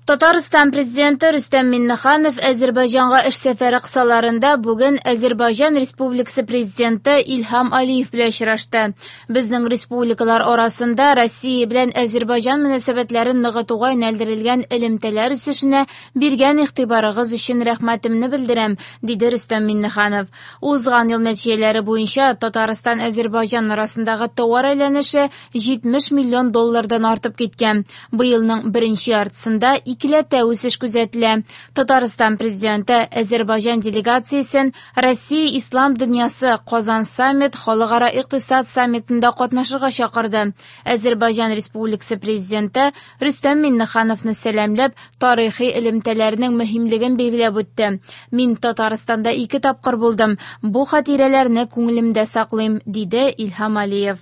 Татарстан Президенты Рөстәм Миңнеханов Әзербайҗанга эш сәфәре кысаларында бүген Әзербайҗан Республикасы Президенты Илһам Алиев белән очрашты. Безнең республикалар арасында Россия белән Әзербайҗан мөнәсәбәтләрен ныгытуга юнәлдерелгән элемтәләр үсешенә биргән игътибарыгыз өчен рәхмәтемне белдерәм, диде Рөстәм Миңнеханов. Узган ел нәтиҗәләре буенча Татарстан-Әзербайҗан арасындагы товар әйләнеше 70 миллион доллардан артып киткән. Быелның беренче яртысында икеләтә үсеш күзәтелә. Татарстан Президенты Әзербайҗан делегациясен Россия Ислам дөньясы Казан саммит халыкара икътисад саммитында катнашырга чакырды. Әзербайҗан Республикасы Президенты Рөстәм Миңнехановны сәламләп, тарихи элемтәләрнең мөһимлеген билгеләп үтте. Мин Татарстанда ике тапкыр булдым. Бу хатирәләрне күңелемдә саклыйм, диде Илһам Алиев.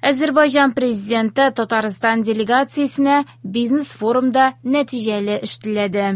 Әзербайҗан президенты Татарстан делегациясенә бизнес-форумда нәтиҗәле эш теләде.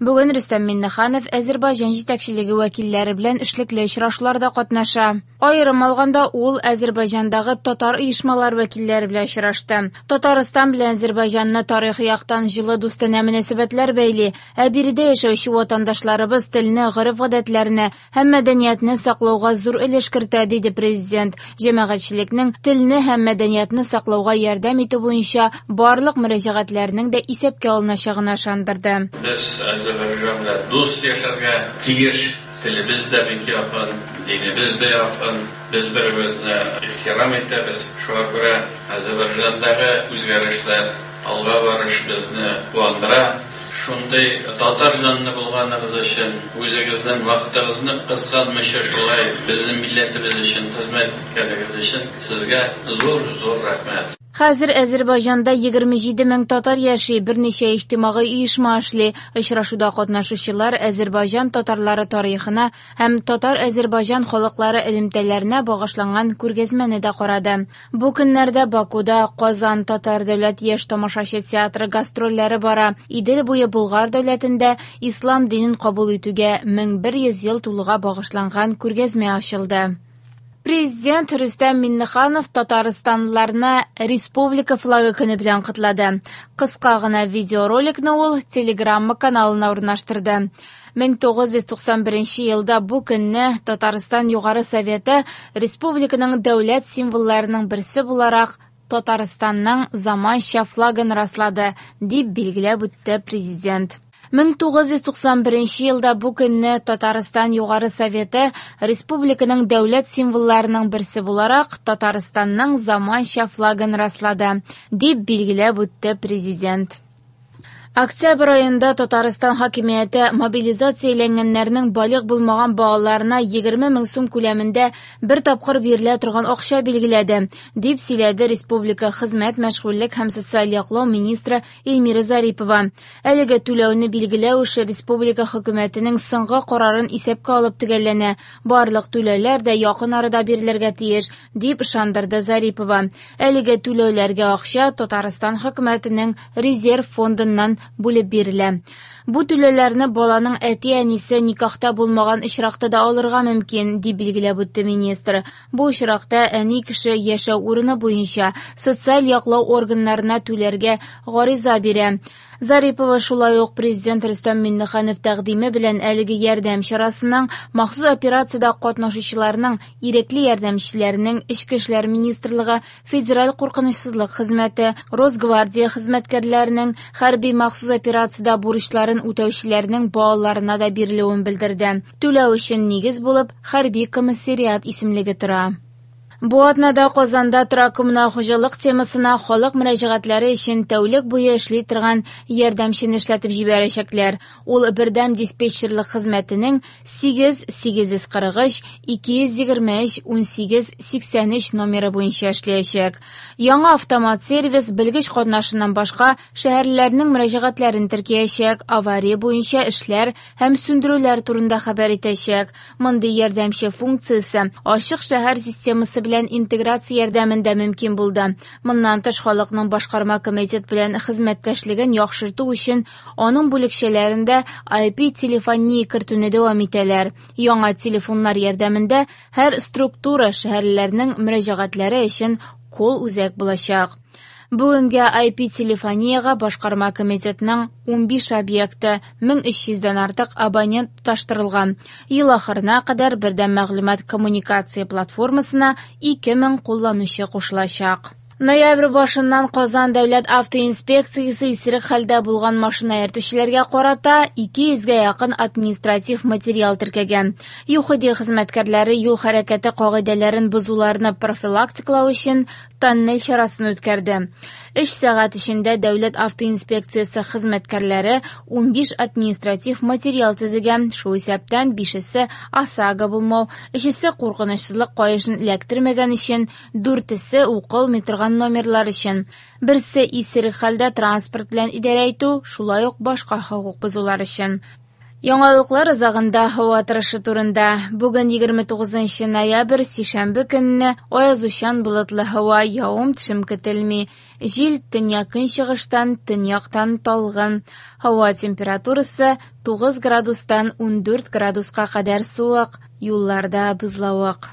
Бүген Рөстәм Миңнеханов Әзербайҗан җитәкчелеге вәкилләре белән эшлекле очрашуларда катнаша. Аерым алганда, ул Әзербайҗандагы татар оешмалары вәкилләре белән очрашты. Татарстан белән Әзербайҗанны тарихи яктан җылы дустанә мөнәсәбәтләр бәйли, ә биредә яшәүче ватандашларыбыз телне, гореф-гадәтләрне һәм мәдәниятне саклауга зур өлеш кертә, диде президент. Җәмәгатьчелекнең телне һәм мәдәниятне саклауга ярдәм итү буенча барлык мөрәҗәгатьләрнең дә исәпкә алыначагына ышандырды. Без Әзербайҗан белән дус яшәргә тиеш. Телебез дә бик якын, динебез дә якын. Без бер-беребезне ихтирам итәбез. Шуңа күрә Әзербайҗандагы үзгәрешләр, алга барыш безне куандыра. Шундый татар җанлы булганыгыз өчен, үзегезнең вакытыгызны кызганмыйча шулай безнең милләтебез өчен хезмәт иткәнегез өчен сезгә зур-зур рәхмәт. Хәзер Әзербайҗанда 27 мең татар яши, берничә иҗтимагый оешма эшли. Очрашуда катнашучылар Әзербайҗан татарлары тарихына һәм татар-әзербайҗан халыклары элемтәләренә багышланган күргәзмәне дә карады. Бу көннәрдә Бакуда Казан татар дәүләт яшь тамашачы театры гастрольләре бара. Идел буе Болгар дәүләтендә ислам динен кабул итүгә 1100 ел тулуга багышланган күргәзмә ачылды. Президент Рөстәм Миңнеханов татарстанлыларны Республика флагы көне белән котлады. Кыска гына видеороликны ул Телеграмма каналына урнаштырды. 1991 елда бу көнне Татарстан Югары Советы республиканың дәүләт символларының берсе буларак Татарстанның заманча флагын раслады, дип билгеләп үтте президент. 1991 елда бу көнне Татарстан Югары Советы республиканың дәүләт символларының берсе буларак Татарстанның заманча флагын раслады, дип билгеләп үтте президент. Октябрь аенда Татарстан хакимияте мобилизацияләнгәннәрнең балигъ булмаган балаларына 20 мең сум күләмендә бер тапкыр бирелә торган акча билгеләде, дип сөйләде республика хезмәт, мәшгульлек һәм социаль яклау министры Эльмира Зарипова. Әлеге түләүне билгеләү эше республика хөкүмәтенең соңгы карарын исәпкә алып төгәлләнә. Барлык түләүләр дә якын арада бирелергә тиеш, дип ышандырды Зарипова. Әлеге түләүләргә акча Татарстан хөкүмәтенең резерв фондыннан бүлеп бирелә. Бу түләүләрне баланың әти-әнисе никахта булмаган очракта да алырга мөмкин, дип билгеләп үтте министр. Бу очракта әни кеше яшәү урыны буенча социаль яклау органнарына түләргә гариза бирә. Зарипова шулай ук президент Рөстәм Миңнеханов тәкъдиме белән әлеге ярдәм чарасының махсус операциядә катнашучыларның ирекле ярдәмчеләренең Эчке эшләр министрлыгы, Федераль куркынычсызлык хезмәте, Росгвардия хезмәткәрләренең хәрби махсус операциядә бурычларын үтәүчеләрнең балаларына да бирелүен белдерде. Түләү өчен нигез булып хәрби комиссариат исемлеге тора. Бу атнада Казанда торак-коммуналь хуҗалык темасына халык мөрәҗәгатьләре өчен тәүлек буе эшли торган ярдәмчене эшләтеп җибәрәчәкләр. Ул бердәм диспетчерлык хезмәтенең 8 843 223 18 83 номеры буенча эшләячәк. Яңа автомат сервис белгеч катнашыннан башка шәһәрлеләрнең мөрәҗәгатьләрен теркәячәк, авария буенча эшләр һәм сүндерүләр турында хәбәр итәчәк. Мондый ярдәмче функциясе ачык шәһәр системасы белән интеграция ярдәмендә мөмкин булды. Моннан тыш халыкның башкарма комитет белән хезмәттәшлеген яхшырту өчен аның бүлекчәләрендә IP-телефония кертүне дәвам итәләр. Яңа телефоннар ярдәмендә һәр структура шәһәрлеләрнең мөрәҗәгатьләре өчен кол-үзәк булачак. Бүгенгә IP-телефониягә башкарма комитетның 15 объекты, 1300 дән артык абонент тоташтырылган. Ел ахырына кадәр бердәм мәгълүмат-коммуникация платформасына 2000 кулланучы кушылачак. Ноябрь башыннан Казан дәүләт автоинспекциясе исерек хәлдә булган машина йөртүчеләргә карата 200 гә якын административ материал теркәгән. ЮХИДИ хезмәткәрләре юл хәрәкәте кагыйдәләрен бозуларны профилактикалау өчен тоннель чарасын үткәрде. Өч сәгать эчендә дәүләт автоинспекциясе хезмәткәрләре 15 административ материал төзегән, шул исәптән бишесе ОСАГО булмау, өчесе куркынычсызлык каешын эләктермәгән өчен, дүртесе укылмый торган номерлар өчен, берсе исерек хәлдә транспорт белән идарә итү, шулай ук башка хокук бозулар өчен. Яңалыклар азагында һава торышы турында. Бүген 29 ноябрь, сишәмбе көнне аязучан болытлы һава, явым-төшем көтелми. Җил төньяк-көнчыгыштан, төньяктан талгын. Һава температурасы 9 градустан 14 градуска кадәр суык, юлларда бозлавык.